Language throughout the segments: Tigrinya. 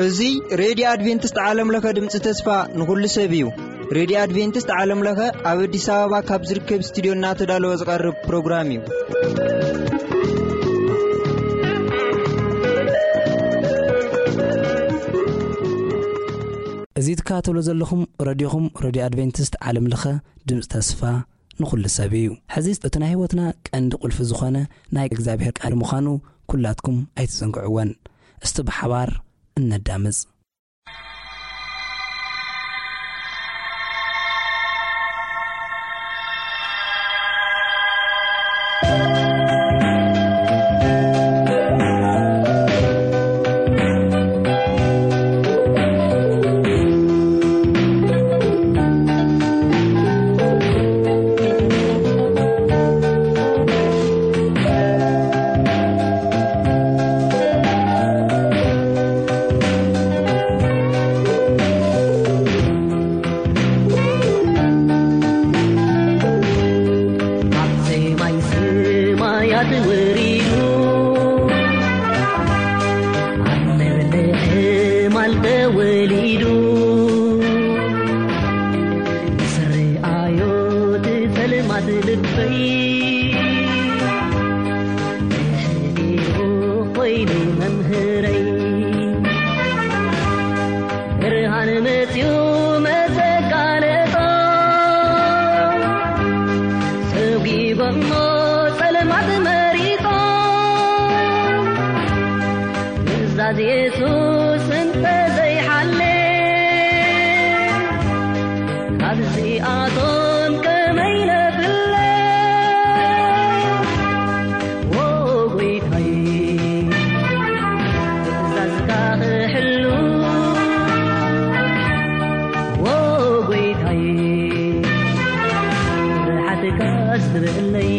እዚ ሬድዮ ኣድቬንቲስት ዓለም ለኸ ድምፂ ተስፋ ንኹሉ ሰብ እዩ። ሬድዮ ኣድቬንቲስት ዓለም ለኸ ኣብ ኣዲስ ኣበባ ካብ ዝርከብ ስቱዲዮ እናተዳለወ ዝቐርብ ፕሮግራም እዩ። እዚ ትከታተሉ ዘለኹም ረድዮኹም፣ ረድዮ ኣድቬንቲስት ዓለም ለኸ ድምፂ ተስፋ ንኹሉ ሰብ እዩ። ሕዚ እቲ ናይ ህይወትና ቀንዲ ቁልፊ ዝኾነ ናይ እግዚኣብሔር ቃል ምዃኑ ኩላትኩም ኣይትዘንግዕወን። እስቲ ብሓባር እነዳምፅ። ኣብ ሰማይ ሰማያት ወሪዱ፣ ኣብ መብልዕ ማል ተወሊዱ፣ ምስ ርኣዮ ትጸልማት ልበይ፣ ተሸጢሩ ኮይኑ መምህረይ። ብርሃን መጺኡ መተጋለጾ፣ ሰጒጎሞ ጸልማት መሪጾ፣ ትእዛዝ የሱስ እንተ ዘይሓሌ፣ ካብዚኣቶም ከመይ ነፍለ? ዎ ጎይታይ፣ ትእዛዝካ ክሕሉ፣ ዎ ጎይታይ፣ ስርሓትካ ኣስተብህለይ።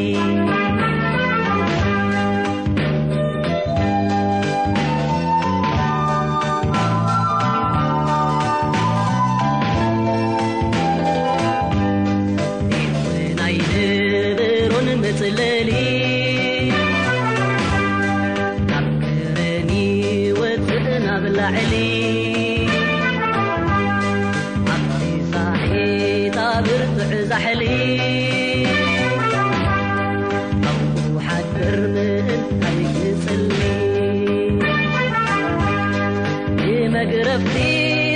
ናይ ንብሮን መጽለሊ፣ ካብ ከረን ይወጽእ ናብ ላዕሊ፣ ኣብቲ ሳሒታ ብርቱዕ ዛሕሊ፣ ኣብኡ ሓድር ምእንታይ ክጽሊ። ብመግረፍቲ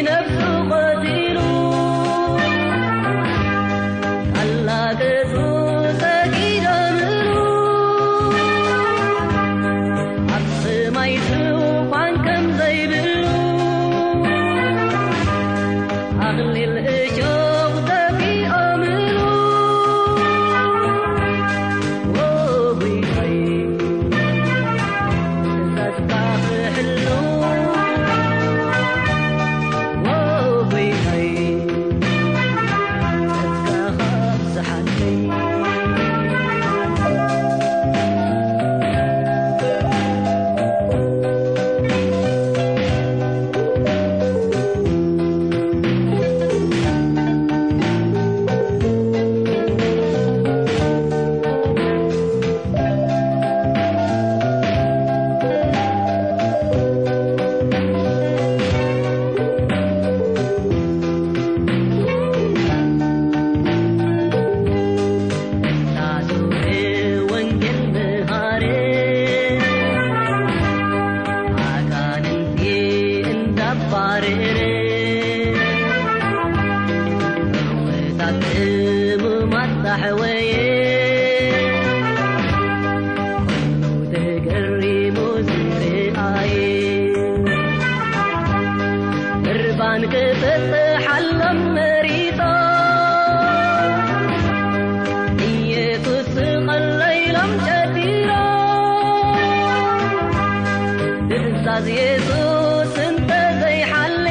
ነፍሱ ቀቲሉ፣ ኣላገጹ ሰጊዶምሉ፣ ኣብ ሰማይ ዙፋን ከም ዘይብሉ፣ ኣኽሊል እሾኽ ደፊኦምሉ። ዎ ጎይታይ፣ ትእዛዝካ ክሕሉ፣ ዎ ጎይታይ፣ ጸጋኻ ኣብዝሓለይ። ወንጌል መሃረ፣ ኣጋንንቲ እንዳባረረ፣ እርውታት ሕሙማት ዳሕወየ፣ ኩሉ ተገሪሙ ዝረኣየ። ቁርባን ክፍትሓሎም መሪጾ፣ ኢየሱስ ስቐለይሎም ጨዲሮ። ትእዛዝ የሱስ እንተ ዘይሓሌ፣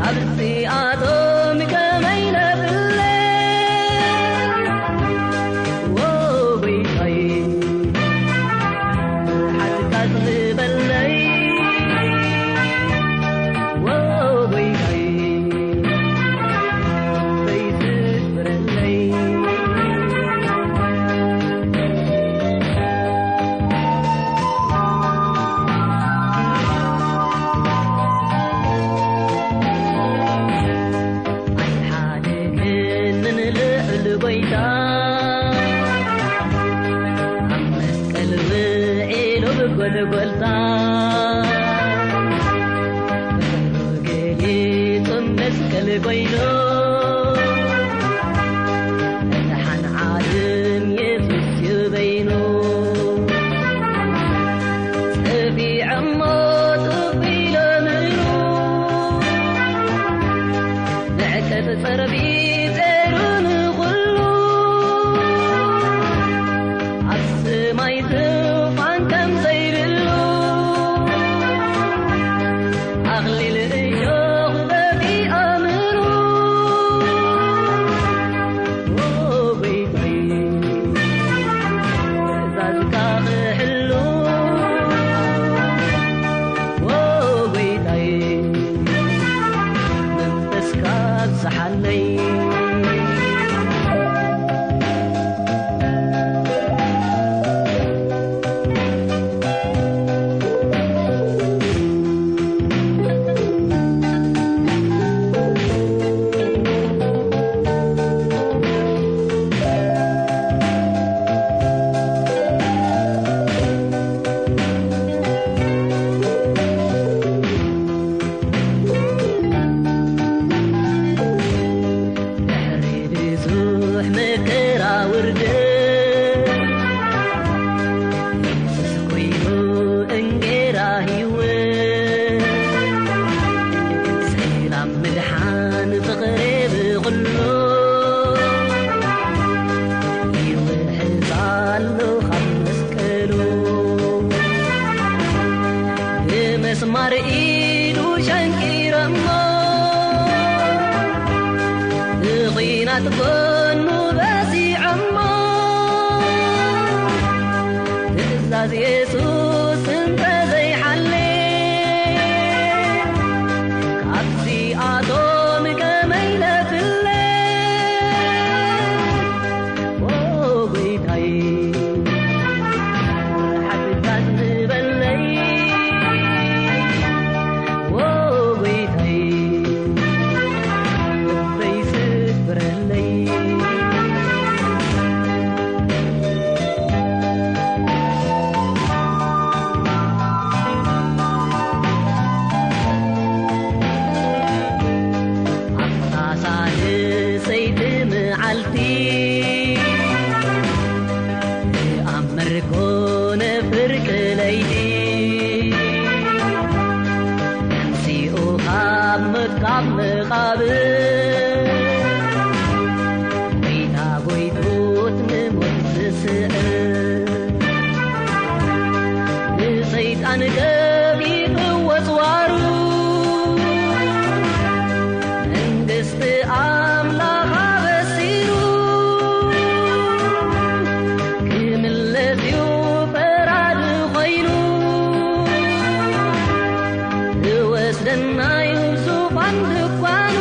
ካብዚኣቶም ከመይ ነፍለ? መስቀል ኮይኑ፣ መድሓን ዓለም የሱስ እዩ በይኑ። ጸፊዖሞ ጡብ ኢሎምሉ፣ ንዕቀት ጸርቢ ጸሩ ንኹሉ፣ ኣብ ሰማይ ዙፋን ከም ዘይብሉ፣ ኣኽሊል እሾኽ ደፊኦምሉ። ኦ ጎይታይ፣ ትእዛዝካ ክሕሉ፣ ኦ ጎይታይ፣ መንፈስካ ኣብዝሓለይ። ድሕሪ ብዙሕ መከራ ውርደት፣ የሱስ ኮይኑ እንጌራ ህይወት፣ ሰላም ምድሓን ፍቕሪ ብኹሉ፣ ይውሕዝ ኣሎ ካብ መስቀሉ። ብመስማር ኢዱ ሸንኪሮሞ፣ ብኹናት ጎኑ በሲዖሞ፣ ትእዛዝ የሱስ እንተዘይሓሌ፣ ካብዚኣቶም ከመይ ለፍለ? ኦ ጎይታይ፣ ርሓቕ ዝበለይ፣ ኦ ጎይታይ፣ ልበይ ስበረለይ። ኣብታ ሳልሰይቲ መዓልቲ፣ ኣብ መርኮ ነፍርቂ ለይቲ፣ ተንሲኡ ካብ ሞት ካብ መቓብር፣ ጎይታ ጎይቶት ንሞት ዝስዕር፣ ንሰይጣን ገቢሩ ወጽዋሩ፣ መንግስቲ ኣምላኽ ኣበሲሩ፣ ክምለስ እዩ ፈራዲ ኮይኑ፣ ዝወስደና እዩ ዙፋን ድኳኑ።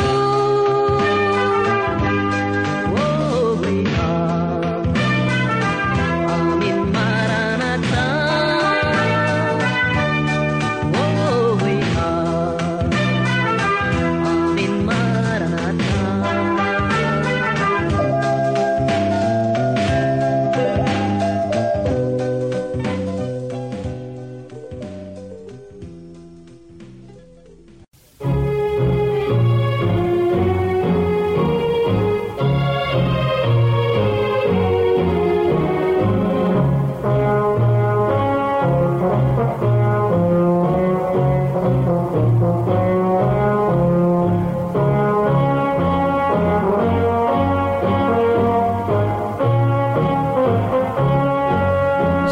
ኦ ጎይታ፣ ኣሜን ማራናታ። ኦ ጎይታ፣ ኣሜን ማራናታ።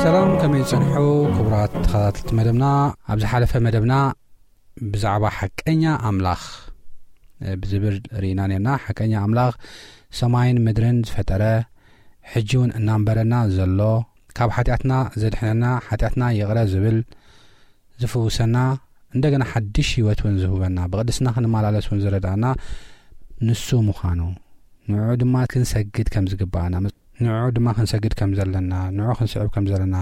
ሰላም፣ ከመይ ጸንሑ ክቡራት ተኸታተልቲ መደብና? ኣብ ዝሓለፈ መደብና ብዛዕባ ሓቀኛ ኣምላኽ፣ እ፣ ብዝብል ርኢና ነርና። ሓቀኛ ኣምላኽ ሰማይን ምድርን ዝፈጠረ፣ ሕጂ እውን እናንበረና ዘሎ፣ ካብ ሓጢኣትና ዘድሕነና፣ ሓጢኣትና ይቕረ ዝብል፣ ዝፍውሰና፣ እንደገና ሓድሽ ህይወት እውን ዝህበና፣ ብቕድስና ክንመላለስ እውን ዝረዳእና ንሱ ምዃኑ፣ ንዕኡ ድማ ክንሰግድ ከም ዝግባኣና፣ ንዕኡ ድማ ክንሰግድ ከም ዘለና፣ ንዕኡ ክንስዕብ ከም ዘለና፣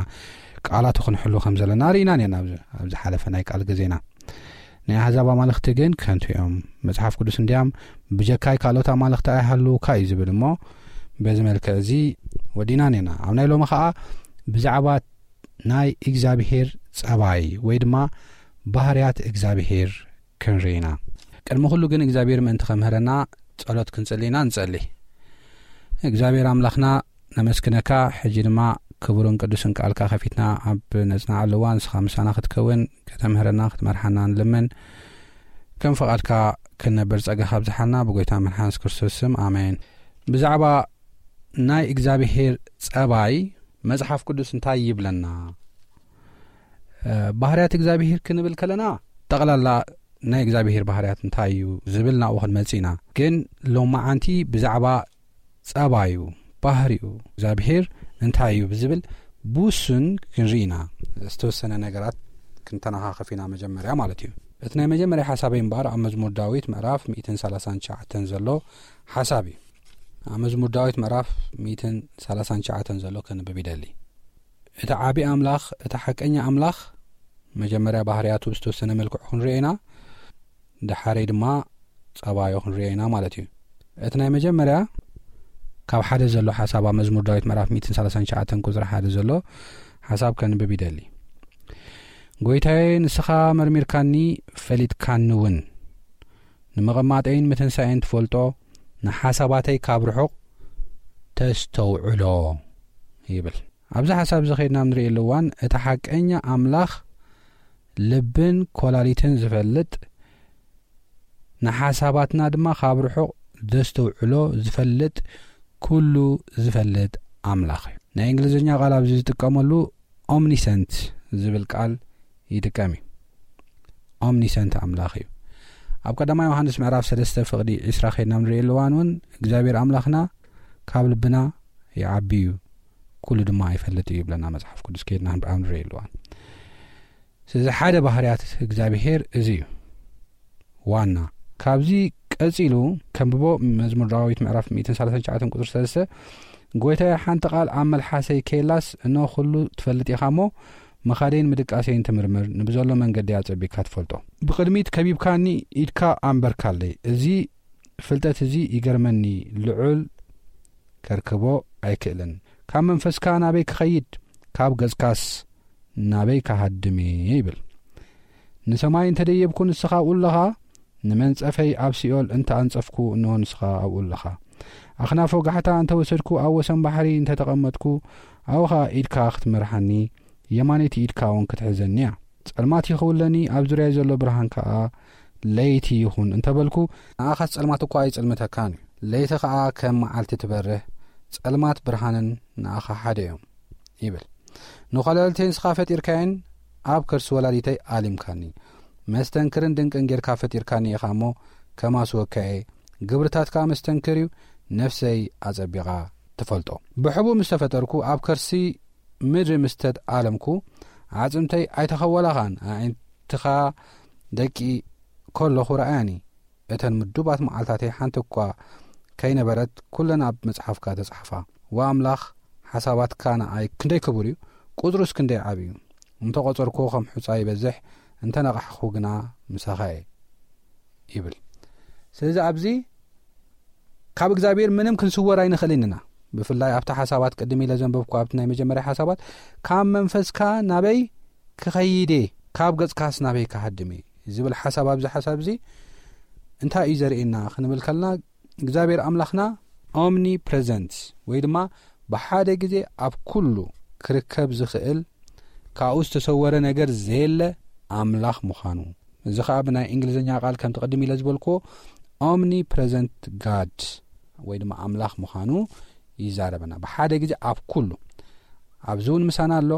ቃላቱ ክንሕሉ ከም ዘለና ርኢና ነርና ኣብዚ፣ ኣብዚ ሓለፈ ናይ ቃል ግዜና። ናይ ኣህዛብ ኣማልኽቲ ግን ከንቱ እዮም፣ መጽሓፍ ቅዱስ እንዲያም ብጀካይ ካልኦት ኣማልኽቲ ኣይሃልውካ እዩ ዝብል እሞ፣ በዚ መልክዕ እዚ ወዲና ነርና። ኣብ ናይ ሎሚ ኸኣ ብዛዕባ ናይ እግዚኣብሄር ጸባይ ወይ ድማ ባህርያት እግዚኣብሄር ክንርኢ ኢና። ቅድሚ ኩሉ ግን እግዚኣብሔር ምእንቲ ከምህረና ጸሎት ክንጽሊ ኢና ንጸሊ። እግዚኣብሔር ኣምላኽና ነመስግነካ። ሕጂ ድማ ክቡርን ቅዱስን ቃልካ ከፊትና ኣብ ነጽናዓሉ እዋን ንስኻ ምሳና ክትከውን፣ ከተምህረና፣ ክትመርሓና ንልምን። ከም ፍቓድካ ክንነብር ጸጋ ካብዝሓልና ብጎይታ መድሓንስ ክርስቶስ ስም ኣሜን። ብዛዕባ ናይ እግዚኣብሔር ጸባይ መጽሓፍ ቅዱስ እንታይ ይብለና? እ፣ ባህርያት እግዚኣብሔር ክንብል ከለና ጠቕላላ ናይ እግዚኣብሔር ባህርያት እንታይ እዩ ዝብል ናብኡ ክንመጽእ ኢና። ግን ሎማዓንቲ ብዛዕባ ጸባዩ፣ ባህሪኡ እግዚኣብሔር እንታይ እዩ ብዝብል ብውሱን ክንርኢ ኢና። ዝተወሰነ ነገራት ክንተነኻኸፍ ኢና መጀመርያ ማለት እዩ። እቲ ናይ መጀመርያ ሓሳበይ እምበኣር ኣብ መዝሙር ዳዊት ምዕራፍ ሚእትን ሰላሳን ትሽዓተን ዘሎ ሓሳብ እዩ። ኣብ መዝሙር ዳዊት ምዕራፍ ሚእትን ሰላሳን ትሽዓተን ዘሎ ከንብብ ይደሊ። እቲ ዓቢ ኣምላኽ፣ እቲ ሓቀኛ ኣምላኽ፣ መጀመርያ ባህርያቱ ብዝተወሰነ መልክዑ ክንሪኦ ኢና። ድሓረይ ድማ ጸባዮ ክንሪኦ ኢና ማለት እዩ። እቲ ናይ መጀመርያ ካብ ሓደ ዘሎ ሓሳብ ኣብ መዝሙር ዳዊት ምዕራፍ ሚእትን ሰላሳን ትሽዓተን ቁጽሪ ሓደ ዘሎ ሓሳብ ከንብብ ይደሊ። ጎይታዬ፣ ንስኻ መርሚርካኒ፣ ፈሊጥካኒ እውን። ንመቐማጠይን ምትንሳኤን ትፈልጦ፣ ንሓሳባተይ ካብ ርሑቕ ተስተውዕሎ ይብል። ኣብዚ ሓሳብ እዚ ኸይድና ኣብ ንርእየሉ እዋን፣ እቲ ሓቀኛ ኣምላኽ ልብን ኮላሊትን ዝፈልጥ፣ ንሓሳባትና ድማ ካብ ርሑቕ ዘስተውዕሎ ዝፈልጥ፣ ኩሉ ዝፈልጥ ኣምላኽ እዩ። ናይ እንግሊዝኛ ቃል ኣብዚ ዝጥቀመሉ ኦምኒሰንት ዝብል ቃል ይጥቀም እዩ። ኦምኒሰንት ኣምላኽ እዩ። ኣብ ቀዳማይ ዮሃንስ ምዕራፍ ሰለስተ ፍቕዲ ዕስራ ኸይድና ኣብ ንርእየሉ እዋን እውን እግዚኣብሔር ኣምላኽና ካብ ልብና ይዓቢ እዩ፣ ኩሉ ድማ ይፈልጥ እዩ ይብለና መጽሓፍ ቅዱስ። ከይድና ኣብ ንርእየሉ እዋን፣ ስለዚ ሓደ ባህርያት እግዚኣብሔር እዚ እዩ ዋና። ካብዚ ቀጺሉ ከንብቦ፣ መዝሙር ዳዊት ምዕራፍ ሚእትን ሰላሳን ትሽዓተን ቁጽሪ ሰለስተ፣ ጎይታዬ፣ ሓንቲ ቃል ኣብ መልሓሰይ ከየላስ፣ እነሆ ኩሉ ትፈልጥ ኢኻ እሞ፣ መኻደይን ምድቃሰይን ትምርምር፣ ንብዘሎ መንገዲ ኣጸቢቕካ ትፈልጦ። ብቕድሚት ከቢብካኒ፣ ኢድካ ኣንበርካለይ። እዚ ፍልጠት እዚ ይገርመኒ፣ ልዑል ከርክቦ ኣይክእልን። ካብ መንፈስካ ናበይ ክኸይድ? ካብ ገጽካስ ናበይ ክሃድም እየ? ይብል። ንሰማይ እንተ ደየብኩ፣ ንስኻ ኣብኡ ኣለኻ። ንመንጸፈይ ኣብ ሲኦል እንተ ኣንጸፍኩ፣ እንሆ ንስኻ ኣብኡ ኣለኻ። ኣኽናፍ ወጋሕታ እንተ ወሰድኩ፣ ኣብ ወሰን ባሕሪ እንተ ተቐመጥኩ፣ ኣብኡ ኸኣ ኢድካ ክትመርሓኒ፣ የማነይቲ ኢድካ እውን ክትሕዘኒ እያ። ጸልማት ይኸውለኒ፣ ኣብ ዙርያይ ዘሎ ብርሃን ከኣ ለይቲ ይኹን እንተ በልኩ፣ ንኣኻስ ጸልማት እኳ ኣይጽልምተካን እዩ። ለይቲ ኸኣ ከም መዓልቲ ትበርህ፣ ጸልማት ብርሃንን ንኣኻ ሓደ እዮም ይብል። ንኮለልተይ ንስኻ ፈጢርካየን፣ ኣብ ከርሲ ወላዲተይ ኣሊምካኒ። መስተንክርን ድንቅን ጌርካ ፈጢርካኒ ኢኻ እሞ፣ ከማስወካ እየ። ግብርታትካ መስተንክር እዩ፣ ነፍሰይ ኣጸቢቓ ትፈልጦ። ብሕቡእ ምስ ተፈጠርኩ፣ ኣብ ከርሲ ምድሪ ምስ ተኣለምኩ፣ ኣዕጽምተይ ኣይተኸወላኻን፣ ኣዒንትኻ ደቂ ከለኹ ረኣያኒ። እተን ምዱባት መዓልታተይ ሓንቲ እኳ ከይነበረት፣ ኩለን ኣብ መጽሓፍካ ተጻሕፋ። ወኣምላኽ፣ ሓሳባትካ ንኣይ ክንደይ ክቡር እዩ፣ ቁጽሩስ ክንደይ ዓቢ እዩ። እንተ ቖጸርኩ ከም ሑጻ ይበዝሕ፣ እንተ ነቓሕኹ ግና ምሳኻ እየ ይብል። ስለዚ ኣብዚ ካብ እግዚኣብሔር ምንም ክንስወር ኣይንኽእልን ኢና። ብፍላይ ኣብቲ ሓሳባት ቅድም ኢለ ዘንበብኩ፣ ኣብቲ ናይ መጀመርያ ሓሳባት፣ ካብ መንፈስካ ናበይ ክኸይድ እየ፣ ካብ ገጽካስ ናበይ ክሃድም እየ ዝብል ሓሳብ፣ ኣብዚ ሓሳብ እዚ እንታይ እዩ ዘርእየና ክንብል ከለና፣ እግዚኣብሔር ኣምላኽና ኦምኒ ፕሬዘንት ወይ ድማ ብሓደ ግዜ ኣብ ኩሉ ክርከብ ዝኽእል፣ ካብኡ ዝተሰወረ ነገር ዘየለ ኣምላኽ ምዃኑ፣ እዚ ኸኣ ብናይ እንግሊዝኛ ቃል ከምቲ ቅድም ኢለ ዝበልክዎ ኦምኒ ፕሬዘንት ጋድ ወይ ድማ ኣምላኽ ምዃኑ ይዛረበና። ብሓደ ግዜ ኣብ ኩሉ፣ ኣብዚ እውን ምሳና ኣሎ።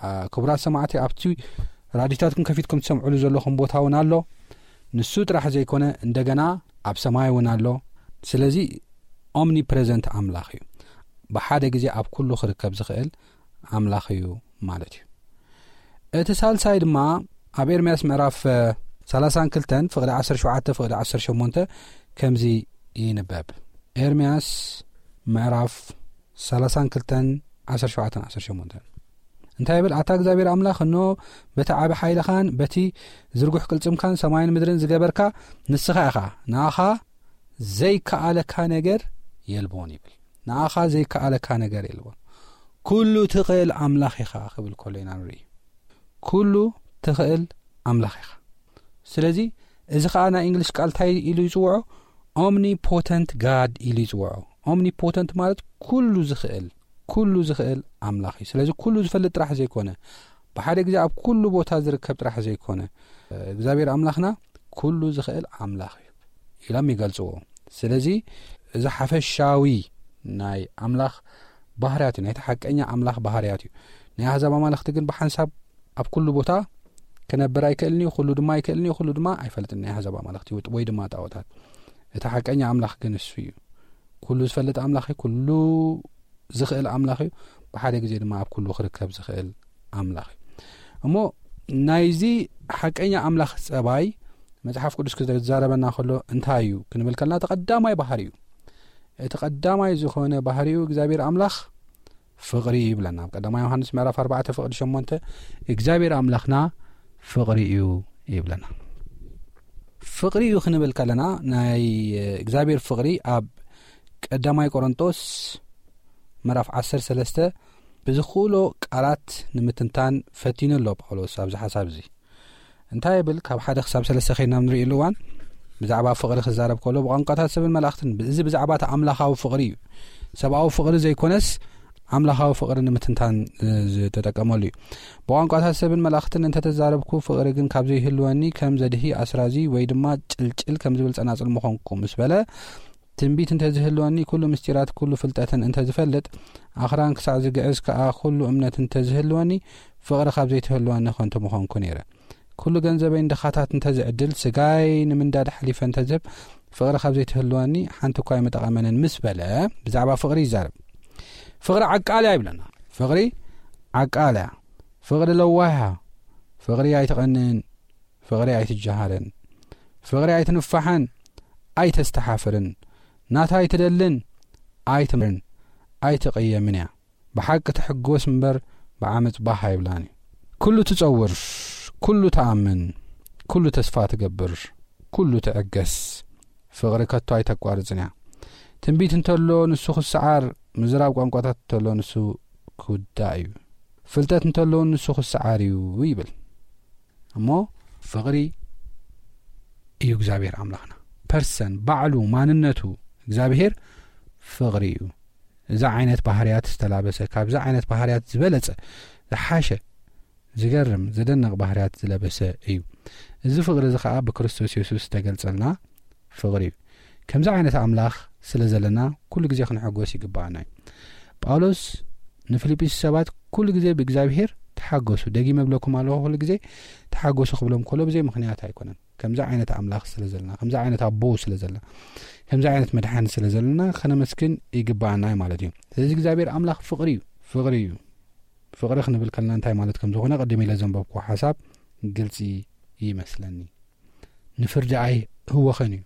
አ፣ ክቡራት ሰማዕቲ፣ ኣብቲ ራዲዮታትኩም ከፊትኩም ትሰምዕሉ ዘለኹም ቦታ እውን ኣሎ። ንሱ ጥራሕ ዘይኮነ፣ እንደገና ኣብ ሰማይ እውን ኣሎ። ስለዚ ኦምኒ ፕሬዘንት ኣምላኽ እዩ። ብሓደ ግዜ ኣብ ኩሉ ክርከብ ዝኽእል ኣምላኽ እዩ ማለት እዩ። እቲ ሳልሳይ ድማ ኣብ ኤርምያስ ምዕራፍ፣ እ፣ ሰላሳን ክልተን ፍቕዲ ዓሰርተ ሸውዓተ ፍቕዲ ዓሰርተ ሸሞንተ ከምዚ ይንበብ። ኤርምያስ ምዕራፍ ሰላሳን ክልተን ዓሰርተ ሸውዓተን ዓሰርተ ሸሞንተን እንታይ ይብል? ኣታ እግዚኣብሔር ኣምላኽ፣ እንሆ በቲ ዓቢ ሓይልኻን በቲ ዝርጉሕ ቅልጽምካን ሰማይን ምድርን ዝገበርካ ንስኻ ኢኻ። ንኣኻ ዘይከኣለካ ነገር የልቦን ይብል። ንኣኻ ዘይከኣለካ ነገር የልቦን። ኩሉ ትኽእል ኣምላኽ ኢኻ ክብል ከሎ ኢና ንርኢ። ኩሉ ትኽእል ኣምላኽ ኢኻ። ስለዚ እዚ ከዓ ናይ እንግሊሽ ቃል እንታይ ኢሉ ይፅውዖ? ኦምኒፖተንት ጋድ ኢሉ ይፅውዖ። ኦምኒፖተንት ማለት ኩሉ ዝኽእል፣ ኩሉ ዝኽእል ኣምላኽ እዩ። ስለዚ ኩሉ ዝፈልጥ ጥራሕ ዘይኮነ፣ ብሓደ ግዜ ኣብ ኩሉ ቦታ ዝርከብ ጥራሕ ዘይኮነ፣ እግዚኣብሔር ኣምላኽና ኩሉ ዝኽእል ኣምላኽ እዩ ኢሎም ይገልፅዎ። ስለዚ እዚ ሓፈሻዊ ናይ ኣምላኽ ባህርያት እዩ፣ ናይቲ ሓቀኛ ኣምላኽ ባህርያት እዩ። ናይ ኣህዛብ ኣማልኽቲ ግን ብሓንሳብ ኣብ ኩሉ ቦታ ክነብር ኣይክእልን እዩ፣ ኩሉ ድማ ኣይክእልን እዩ፣ ኩሉ ድማ ኣይፈልጥን። ናይ ኣህዛብ ኣማልኽቲ ወይ ድማ ጣዖታት፣ እቲ ሓቀኛ ኣምላኽ ግን እሱ እዩ። ኩሉ ዝፈልጥ ኣምላኽ እዩ፣ ኩሉ ዝኽእል ኣምላኽ እዩ፣ ብሓደ ግዜ ድማ ኣብ ኩሉ ክርከብ ዝኽእል ኣምላኽ እዩ። እሞ ናይዚ ሓቀኛ ኣምላኽ ጸባይ መጽሓፍ ቅዱስ ክዛረበና ከሎ እንታይ እዩ ክንብል ከልና፣ እቲ ቀዳማይ ባህሪ እዩ። እቲ ቀዳማይ ዝኾነ ባህሪኡ እግዚኣብሔር ኣምላኽ ፍቕሪ እዩ ይብለና። ኣብ ቀዳማይ ዮሃንስ ምዕራፍ ኣርባዕተ ፍቕዲ ሸሞንተ እግዚኣብሔር ኣምላኽና ፍቕሪ እዩ ይብለና። ፍቕሪ እዩ ክንብል ከለና፣ ናይ እግዚኣብሔር ፍቕሪ ኣብ ቀዳማይ ቆሮንጦስ ምዕራፍ ዓሰርተ ሰለስተ ብዝኽእሎ ቃላት ንምትንታን ፈቲኑ ኣሎ ጳውሎስ ኣብዚ ሓሳብ እዚ። እንታይ ይብል? ካብ ሓደ ክሳብ ሰለስተ ከይድና ንርእየሉ እዋን ብዛዕባ ፍቕሪ ክዛረብ ከሎ፣ ብቋንቋታት ሰብን መላእኽትን፣ እዚ ብዛዕባ እቲ ኣምላኻዊ ፍቕሪ እዩ። ሰብኣዊ ፍቕሪ ዘይኮነስ ኣምላኻዊ ፍቕሪ ንምትንታን ዝተጠቀመሉ እዩ። ብቋንቋታት ሰብን መላእኽትን እንተተዛረብኩ፣ ፍቕሪ ግን ካብ ዘይህልወኒ ከም ዘድሂ ኣስራዚ ወይ ድማ ጭልጭል ከም ዝብል ጸናጽል ምኾንኩ ምስ በለ፣ ትንቢት እንተዝህልወኒ፣ ኩሉ ምስጢራት ኩሉ ፍልጠትን እንተዝፈልጥ፣ ኣኽራን ክሳዕ ዝግዕዝ ከኣ ኩሉ እምነት እንተዝህልወኒ፣ ፍቕሪ ካብ ዘይትህልወኒ ከንቱ ምኾንኩ ነይረ። ኩሉ ገንዘበይ ንድኻታት እንተዝዕድል፣ ስጋይ ንምንዳድ ሓሊፈ እንተዝህብ፣ ፍቕሪ ካብ ዘይትህልወኒ ሓንቲ እኳ ኣይምጠቐመንን ምስ በለ፣ ብዛዕባ ፍቕሪ ይዛረብ። ፍቕሪ ዓቃል እያ ይብለና። ፍቕሪ ዓቃል እያ። ፍቕሪ ለዋህ እያ። ፍቕሪ ኣይትቐንእን። ፍቕሪ ኣይትጀሃርን። ፍቕሪ ኣይትንፋሕን፣ ኣይተስተሓፍርን። ናታ ኣይትደልን፣ ኣይትምርን፣ ኣይትቕየምን እያ። ብሓቂ ትሕጎስ እምበር ብዓመጽ ባህ ኣይብላን እዩ። ኩሉ ትጸውር፣ ኩሉ ትኣምን፣ ኩሉ ተስፋ ትገብር፣ ኩሉ ትዕገስ። ፍቕሪ ከቶ ኣይተቋርጽን እያ። ትንቢት እንተሎ ንሱ ክሰዓር፣ ምዝራብ ቋንቋታት እንተሎ ንሱ ክውዳእ እዩ። ፍልጠት እንተሎ ንሱ ክሰዓር እዩ ይብል። እሞ ፍቕሪ እዩ እግዚኣብሔር ኣምላኽና። ፐርሰን፣ ባዕሉ፣ ማንነቱ እግዚኣብሔር ፍቕሪ እዩ። እዚ ዓይነት ባህርያት ዝተላበሰ፣ ካብዚ ዓይነት ባህርያት ዝበለጸ፣ ዝሓሸ፣ ዝገርም፣ ዘደንቕ ባህርያት ዝለበሰ እዩ። እዚ ፍቕሪ እዚ ኸኣ ብክርስቶስ የሱስ ዝተገልጸልና ፍቕሪ እዩ። ከምዚ ዓይነት ኣምላኽ ስለ ዘለና ኩሉ ግዜ ክንሕጎስ ይግባኣና እዩ። ጳውሎስ ንፊልጵስ ሰባት ኩሉ ግዜ ብእግዚኣብሔር ተሓገሱ፣ ደጊመ እብለኩም ኣለኹ ኩሉ ግዜ ተሓገሱ ክብሎም ከሎ ብዘይ ምኽንያት ኣይኮነን። ከምዚ ዓይነት ኣምላኽ ስለ ዘለና፣ ከምዚ ዓይነት ኣቦ ስለ ዘለና፣ ከምዚ ዓይነት መድሓኒ ስለ ዘለና ከነመስግን ይግባኣና እዩ ማለት እዩ። ስለዚ እግዚኣብሔር ኣምላኽ ፍቕሪ እዩ፣ ፍቕሪ እዩ። ፍቕሪ ክንብል ከለና እንታይ ማለት ከም ዝኾነ ቅድም ኢለ ዘንበብኩዎ ሓሳብ ግልጺ ይመስለኒ። ንፍርዲ ኣይህወኸን እዩ።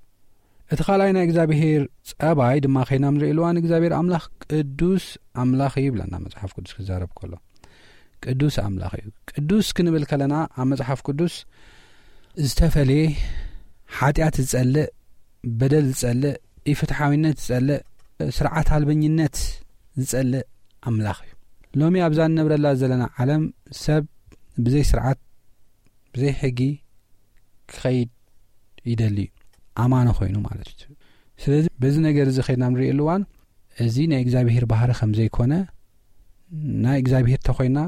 እቲ ካልኣይ ናይ እግዚኣብሔር ጸባይ ድማ ኸይና ንርእየሉ እዋን እግዚኣብሔር ኣምላኽ ቅዱስ ኣምላኽ እዩ ይብለና መጽሓፍ ቅዱስ ክዛረብ ከሎ። ቅዱስ ኣምላኽ እዩ። ቅዱስ ክንብል ከለና ኣብ መጽሓፍ ቅዱስ ዝተፈልየ፣ ሓጢኣት ዝጸልእ፣ በደል ዝጸልእ፣ ኢፍትሓዊነት ዝጸልእ፣ ስርዓት ኣልበኝነት ዝጸልእ ኣምላኽ እዩ። ሎሚ ኣብዛ እንነብረላ ዘለና ዓለም ሰብ ብዘይ ስርዓት፣ ብዘይ ሕጊ ክኸይድ ይደሊ እዩ፣ ኣማኒ ኮይኑ ማለት እዩ። ስለዚ በዚ ነገር እዚ ኸይድና ንርእየሉ እዋን እዚ ናይ እግዚኣብሔር ባህሪ ከም ዘይኮነ፣ ናይ እግዚኣብሔር ተኾይና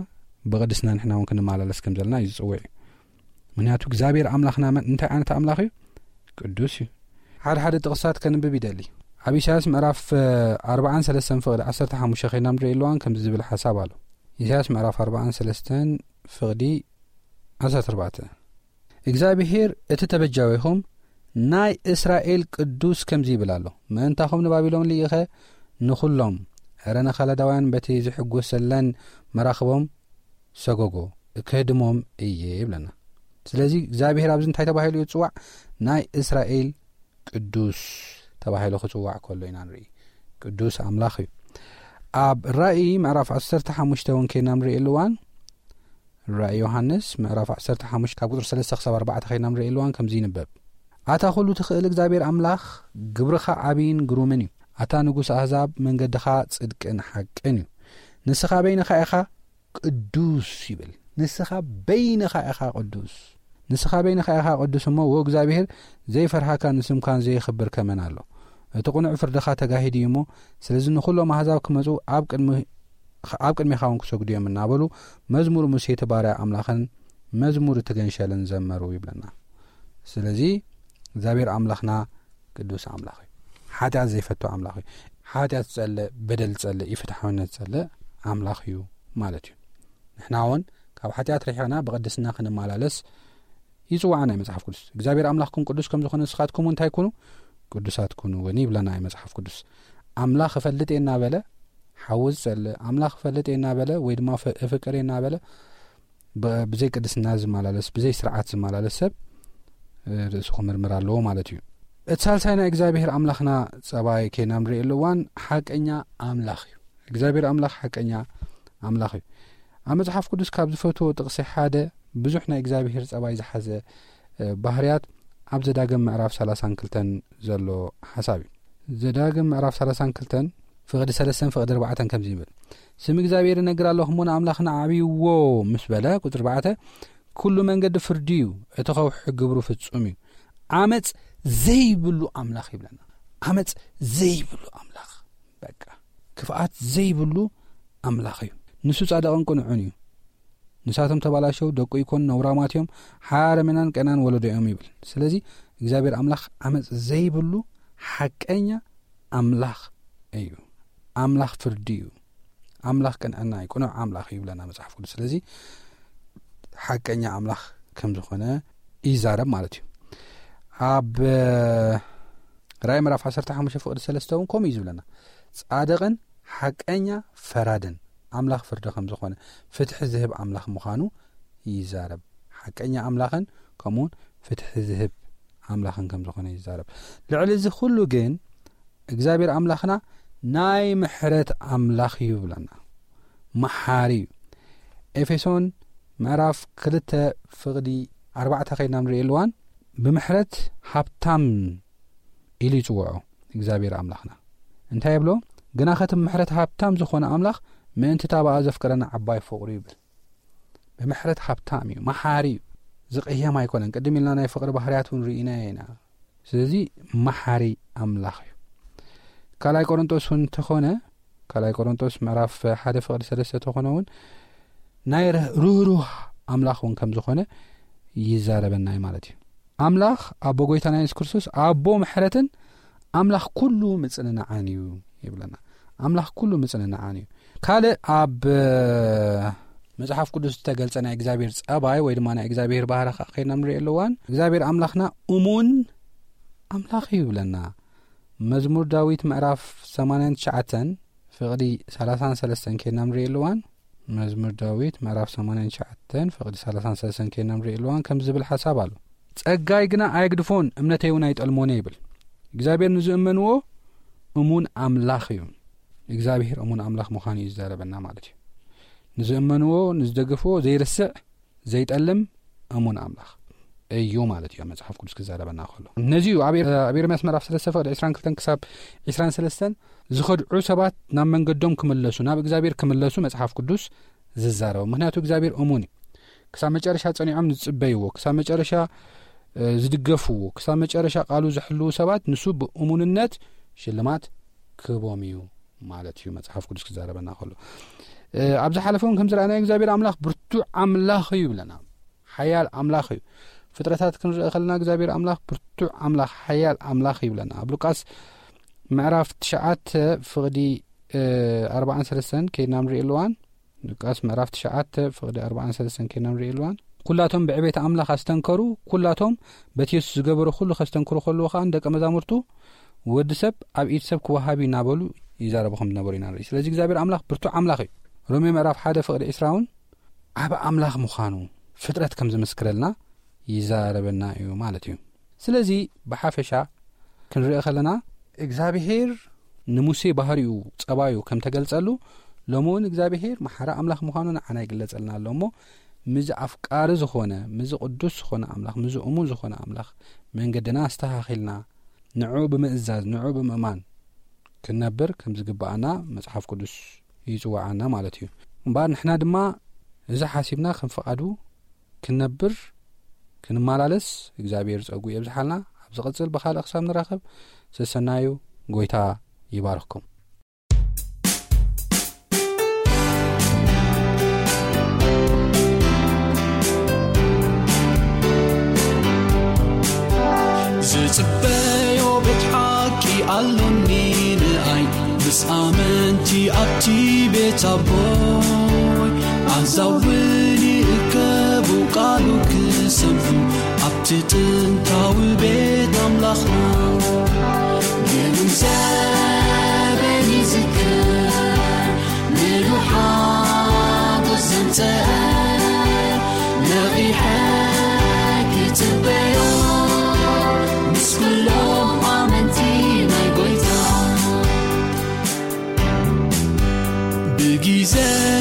ብቕድስና ንሕና እውን ክንመላለስ ከም ዘለና እዩ ዝጽውዕ እዩ። ምክንያቱ እግዚኣብሔር ኣምላኽና መን፣ እንታይ ዓይነት ኣምላኽ እዩ? ቅዱስ እዩ። ሓደ ሓደ ጥቕሳት ከንብብ ይደሊ። ኣብ ኢሳያስ ምዕራፍ ኣርባዓን ሰለስተን ፍቕዲ ዓሰርተ ሓሙሽተ ኸይድና ንርእየሉ እዋን ከምዚ ዝብል ሓሳብ ኣሎ። ኢሳያስ ምዕራፍ ኣርባዓን ሰለስተን ፍቕዲ ዓሰርተ ኣርባዕተ፣ እግዚኣብሔር እቲ ተበጃዊኹም ናይ እስራኤል ቅዱስ ከምዚ ይብል ኣሎ፣ ምእንታኹም ንባቢሎን ልኢኸ ንኹሎም፣ ዕረ ንኸለዳውያን በቲ ዝሕጎሰለን መራኽቦም ሰጎጎ፣ ክህድሞም እየ ይብለና። ስለዚ እግዚኣብሔር ኣብዚ እንታይ ተባሂሉ እዩ ዝጽዋዕ? ናይ እስራኤል ቅዱስ ተባሂሉ ክጽዋዕ ከሎ ኢና ንርኢ። ቅዱስ ኣምላኽ እዩ። ኣብ ራእይ ምዕራፍ ዓሰርተ ሓሙሽተ እውን ከይና ንርእየሉ እዋን፣ ራእይ ዮሃንስ ምዕራፍ ዓሰርተ ሓሙሽተ ካብ ቁጽሪ ሰለስተ ክሳብ ኣርባዕተ ከይና ንርእየሉ እዋን ከምዚ ይንበብ፣ ኣታ ኩሉ ትኽእል እግዚኣብሔር ኣምላኽ፣ ግብርኻ ዓብይን ግሩምን እዩ። ኣታ ንጉስ ኣህዛብ፣ መንገድኻ ጽድቅን ሓቅን እዩ። ንስኻ በይንኻ ኢኻ ቅዱስ ይብል። ንስኻ በይንኻ ኢኻ ቅዱስ። ንስኻ በይንኻ ኢኻ ቅዱስ እሞ፣ ወእግዚኣብሔር ዘይፈርሃካን ንስምካን ዘየኽብር ከመን ኣሎ? እቲ ቅኑዕ ፍርድኻ ተጋሂዱ እዩ እሞ፣ ስለዚ ንኹሎም ኣህዛብ ክመጹ ኣብ ቅድሚ-፣ ኣብ ቅድሜኻ እውን ክሰግዱ እዮም እናበሉ፣ መዝሙር ሙሴ እቲ ባርያ ኣምላኽን መዝሙር እቲ ገንሸልን ዘመሩ ይብለና። ስለዚ እግዚኣብሔር ኣምላኽና ቅዱስ ኣምላኽ እዩ። ሓጢኣት ዘይፈቱ ኣምላኽ እዩ። ሓጢኣት ዝጸልእ፣ በደል ዝጸልእ፣ ኢፍትሓውነት ዝጸልእ ኣምላኽ እዩ ማለት እዩ። ንሕና እውን ካብ ሓጢኣት ርሒቕና ብቕድስና ክንመላለስ ይጽዋዕና እዩ መጽሓፍ ቅዱስ። እግዚኣብሔር ኣምላኽኩም ቅዱስ ከም ዝኾነ ንስኻትኩም እውን እንታይ ኩኑ? ቅዱሳት ኩኑ እውን ይብለና እዩ መጽሓፍ ቅዱስ። ኣምላኽ እፈልጥ እየ እናበለ ሓዊ ዝጸልእ፣ ኣምላኽ እፈልጥ እየ እናበለ ወይ ድማ ፈ-፣ እፍቅር እየ እናበለ ብ-፣ ብዘይ ቅድስና ዝመላለስ፣ ብዘይ ስርዓት ዝመላለስ ሰብ፣ እ፣ ርእሱ ክምርምር ኣለዎ ማለት እዩ። እቲ ሳልሳይ ናይ እግዚኣብሔር ኣምላኽና ጸባይ ከይና ንርእየሉ እዋን ሓቀኛ ኣምላኽ እዩ። እግዚኣብሔር ኣምላኽ ሓቀኛ ኣምላኽ እዩ። ኣብ መጽሓፍ ቅዱስ ካብ ዝፈትዎ ጥቕሲ ሓደ ብዙሕ ናይ እግዚኣብሔር ጸባይ ዝሓዘ፣ እ፣ ባህርያት ኣብ ዘዳግም ምዕራፍ ሰላሳን ክልተን ዘሎ ሓሳብ እዩ። ዘዳግም ምዕራፍ ሰላሳን ክልተን ፍቕዲ ሰለስተን ፍቕዲ ኣርባዕተን ከምዚ ይብል፣ "ስም እግዚኣብሔር እነግር ኣለኹ እሞ ንኣምላኽና ኣዕብይዎ" ምስ በለ፣ ቁጽሪ ኣርባዕተ፣ "ኩሉ መንገዲ ፍርዲ እዩ፣ እቲ ኸውሒ ግብሩ ፍጹም እዩ፣ ዓመፅ ዘይብሉ ኣምላኽ" ይብለና። ዓመፅ ዘይብሉ ኣምላኽ፣ በቃ ክፍኣት ዘይብሉ ኣምላኽ እዩ። ንሱ ጻድቕን ቅኑዕን እዩ። ንሳቶም ተባላሸው፣ ደቁ ይኮን፣ ነውራማት እዮም፣ ሓረመናን ቀናን ወለዶ እዮም ይብል። ስለዚ እግዚኣብሔር ኣምላኽ ዓመፅ ዘይብሉ ሓቀኛ ኣምላኽ እዩ። ኣምላኽ ፍርዲ እዩ። ኣምላኽ ቅንዕና እዩ፣ ቅኑዕ ኣምላኽ እዩ ይብለና መጽሓፍ ቅዱስ። ስለዚ ሓቀኛ ኣምላኽ ከም ዝኾነ ይዛረብ ማለት እዩ። ኣብ ራእይ ምዕራፍ ዓሰርተ ሓሙሽተ ፍቕዲ ሰለስተ እውን ከምኡ እዩ ዝብለና። ጻድቕን ሓቀኛ ፈራድን ኣምላኽ ፍርዲ ከም ዝኾነ፣ ፍትሒ ዝህብ ኣምላኽ ምዃኑ ይዛረብ። ሓቀኛ ኣምላኽን ከምኡውን ፍትሒ ዝህብ ኣምላኽን ከም ዝኾነ ይዛረብ። ልዕሊ እዚ ኩሉ ግን እግዚኣብሔር ኣምላኽና ናይ ምሕረት ኣምላኽ እዩ ይብለና። መሓሪ እዩ። ኤፌሶን ምዕራፍ ክልተ ፍቕዲ ኣርባዕተ ከይድና ንርእየሉ እዋን፣ ብምሕረት ሃብታም ኢሉ ይጽውዖ እግዚኣብሔር ኣምላኽና። እንታይ ይብሎ? "ግና ኸቲ ብምሕረት ሃብታም ዝኾነ ኣምላኽ ምእንቲ እታ ብኣ ዘፍቀረና ዓባይ ፍቕሩ" ይብል። ብምሕረት ሃብታም እዩ፣ መሓሪ እዩ። ዝቕየም ኣይኮነን። ቅድም ኢልና ናይ ፍቕሪ ባህርያት እውን ርኢና ኢና። ስለዚ መሓሪ ኣምላኽ እዩ። ካልኣይ ቆሮንጦስ እውን እንተኾነ፣ ካልኣይ ቆሮንጦስ ምዕራፍ ሓደ ፍቕዲ ሰለስተ ተኾነ እውን ናይ ርህ-፣ ርህሩህ ኣምላኽ እውን ከም ዝኾነ ይዛረበና እዩ ማለት እዩ። ኣምላኽ ኣቦ ጎይታና የሱስ ክርስቶስ ኣቦ ምሕረትን ኣምላኽ ኩሉ ምጽንናዓን እዩ ይብለና። ኣምላኽ ኩሉ ምጽንናዓን እዩ። ካልእ ኣብ መጽሓፍ ቅዱስ ዝተገልጸ ናይ እግዚኣብሔር ጸባይ ወይ ድማ ናይ እግዚኣብሔር ባህሪ ኸዓ ከይድና ንርእየሉ እዋን፣ እግዚኣብሔር ኣምላኽና እሙን ኣምላኽ እዩ ይብለና። መዝሙር ዳዊት ምዕራፍ ሰማንያን ትሽዓተን ፍቕዲ ሰላሳን ሰለስተን ከይድና ንርእየሉ እዋን፣ መዝሙር ዳዊት ምዕራፍ ሰማንያን ትሽዓተን ፍቕዲ ሰላሳን ሰለስተን ከይድና ንርእየሉ እዋን ከምዚ ዝብል ሓሳብ ኣሎ። "ጸጋይ ግና ኣየግድፎን፣ እምነተይ እውን ኣይጠልሞን" ይብል። እግዚኣብሔር ንዝእመንዎ እሙን ኣምላኽ እዩ። እግዚኣብሔር እሙን ኣምላኽ ምዃኑ እዩ ዝዛረበና ማለት እዩ። ንዝእመንዎ፣ ንዝደግፍዎ ዘይርስዕ፣ ዘይጠልም እሙን ኣምላኽ እዩ ማለት እዩ መጽሓፍ ቅዱስ ክዛረበና ከሎ። ነዚ እዩ ኣብ ኤር-፣ ኣብ ኤርምያስ ምዕራፍ ሰለስተ ፍቕዲ ዕስራን ክልተን ክሳብ ዕስራን ሰለስተን ዝኸድዑ ሰባት ናብ መንገዶም ክምለሱ፣ ናብ እግዚኣብሔር ክምለሱ መጽሓፍ ቅዱስ ዝዛረቡ። ምኽንያቱ እግዚኣብሔር እሙን እዩ። ክሳብ መጨረሻ ጸኒዖም ዝጽበይዎ፣ ክሳብ መጨረሻ፣ እ፣ ዝድገፍዎ፣ ክሳብ መጨረሻ ቃሉ ዝሕልዉ ሰባት ንሱ ብእሙንነት ሽልማት ክህቦም እዩ ማለት እዩ መጽሓፍ ቅዱስ ክዛረበና ከሎ። እ፣ ኣብ ዝሓለፈ እውን ከም ዝረኣናዮ እግዚኣብሔር ኣምላኽ ብርቱዕ ኣምላኽ እዩ ይብለና። ሓያል ኣምላኽ እዩ። ፍጥረታት ክንርኢ ከለና እግዚኣብሔር ኣምላኽ ብርቱዕ ኣምላኽ፣ ሓያል ኣምላኽ ይብለና። ኣብ ሉቃስ ምዕራፍ ትሽዓተ ፍቕዲ፣ እ፣ ኣርባዓን ሰለስተን ከይድና ንርእየሉ እዋን፣ ሉቃስ ምዕራፍ ትሽዓተ ፍቕዲ ኣርባዓን ሰለስተን ከይድና ንርእየሉ እዋን፣ ኩላቶም ብዕቤት ኣምላኽ ኣስተንከሩ፣ ኩላቶም በቲ የሱስ ዝገበሮ ኩሉ ከስተንክሩ ከለዉ ከኣ ንደቀ መዛሙርቱ፣ "ወዲ ሰብ ኣብ ኢድ ሰብ ክወሃብ እዩ" እናበሉ ይዛረቡ ከም ዝነበሩ ኢና ንርኢ። ስለዚ እግዚኣብሔር ኣምላኽ ብርቱዕ ኣምላኽ እዩ። ሮሜ ምዕራፍ ሓደ ፍቕዲ ዕስራ እውን ዓቢ ኣምላኽ ምዃኑ ፍጥረት ከም ዝምስክረልና ይዛረበና እዩ ማለት እዩ። ስለዚ ብሓፈሻ ክንርኢ ከለና እግዚኣብሔር ንሙሴ ባህሪኡ፣ ጸባዩ ከም ተገልጸሉ፣ ሎሚ እውን እግዚኣብሔር መሓሪ ኣምላኽ ምዃኑ ንዓና ይግለጸልና ኣሎ እሞ፣ ምዚ ኣፍቃሪ ዝኾነ፣ ምዚ ቅዱስ ዝኾነ ኣምላኽ፣ ምዚ እሙን ዝኾነ ኣምላኽ መንገድና ኣስተኻኺልና፣ ንዕኡ ብምእዛዝ፣ ንዕኡ ብምእማን ክንነብር ከም ዝግብኣና መጽሓፍ ቅዱስ ይጽውዓና ማለት እዩ። እምበኣር ንሕና ድማ እዚ ሓሲብና ከም ፍቓዱ ክንነብር ክንመላለስ እግዚኣብሔር ጸጉ የብዝሓልና። ኣብ ዝቐጽል ብኻልእ ክሳብ ንራኸብ ሰሰናዩ። ጎይታ ይባርኽኩም። ዝጽበዮ ቤት ሓቂ ኣሎኒ ንኣይ ምስ ኣመንቲ ኣብቲ ቤት ኣቦይ ኣዛውኒ እከቡ ቃሉ ክሰምዑ ኣብቲ ጥንታዊ ቤት ኣምላኽና ግሩም ዘበን ይዝክር ምሉሓ ዘምፀአ ነቒሐ ክፅበዮ ምስ ኩሎም ኣመንቲ ናይ ጎይታ ብጊዜ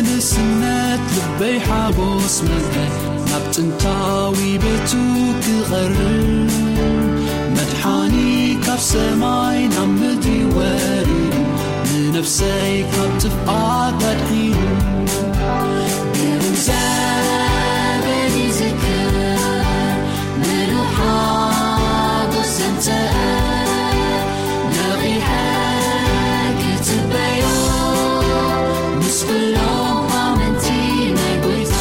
ንስነት ልበይ ሓጎስ መልአ ናብ ጥንታዊ ቤቱ ክቐርብ መድሓኒ ካብ ሰማይ ናብ ምድሪ ወሪዱ ንነፍሰይ ካብ ጥፍኣት ኣድሒኑ ግሩም ዘበን ይዝክር ምሉሓ ጎሰምተአ ነቒሐ ክትበዮ ምስ ኩሎም ኣመንቲ ናይ ጎይታ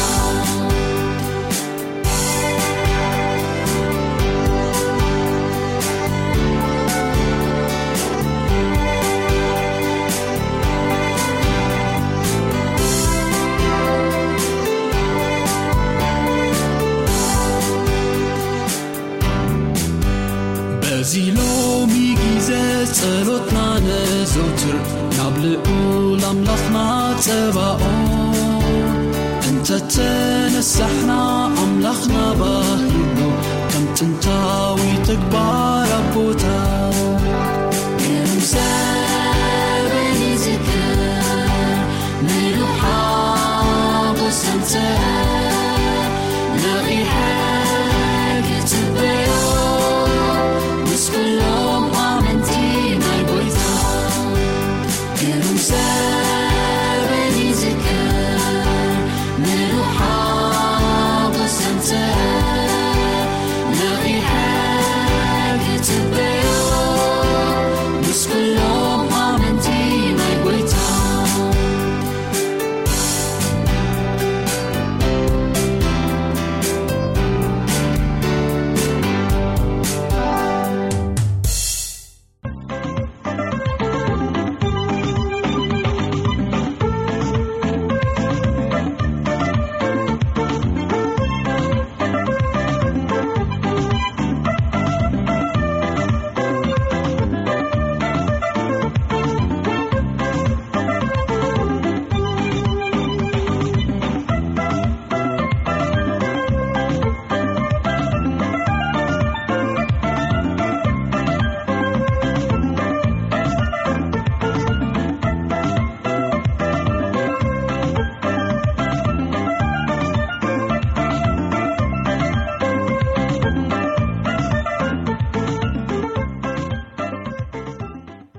በዚ ሎሚ ግዜ ጸሎትና ነዘውትር ናብ ልዑል ኣምላኽና ጸባኦ እንተተነሳሕና ኣምላኽና ባ